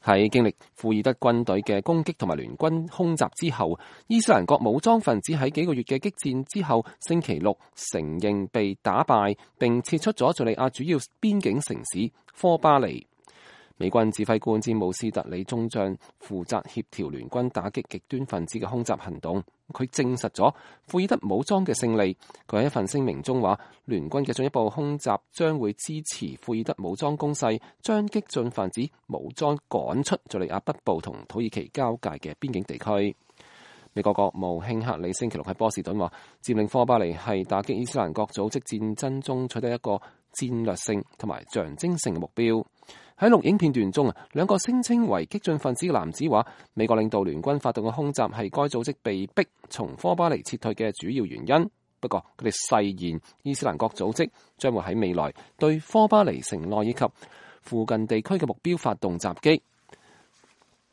喺經歷庫爾德軍隊嘅攻擊同埋聯軍空襲之後，伊斯蘭國武裝分子喺幾個月嘅激戰之後，星期六承認被打敗，並撤出咗敘利亞主要邊境城市科巴尼。美軍指揮官詹姆斯特里中將負責協調聯軍打擊極端分子嘅空襲行動，佢證實咗庫爾德武裝嘅勝利。佢喺一份聲明中話，聯軍嘅進一步空襲將會支持庫爾德武裝攻勢，將激進分子武裝趕出敘利亞北部同土耳其交界嘅邊境地區。美國國務卿克里星期六喺波士頓話，佔領科巴尼係打擊伊斯蘭國組織戰爭中取得一個戰略性同埋象徵性嘅目標。喺錄影片段中，兩個聲稱為激進分子嘅男子話，美國領導聯軍發動嘅空襲係該組織被逼從科巴尼撤退嘅主要原因。不過佢哋誓言伊斯蘭國組織將會喺未來對科巴尼城內以及附近地區嘅目標發動襲擊。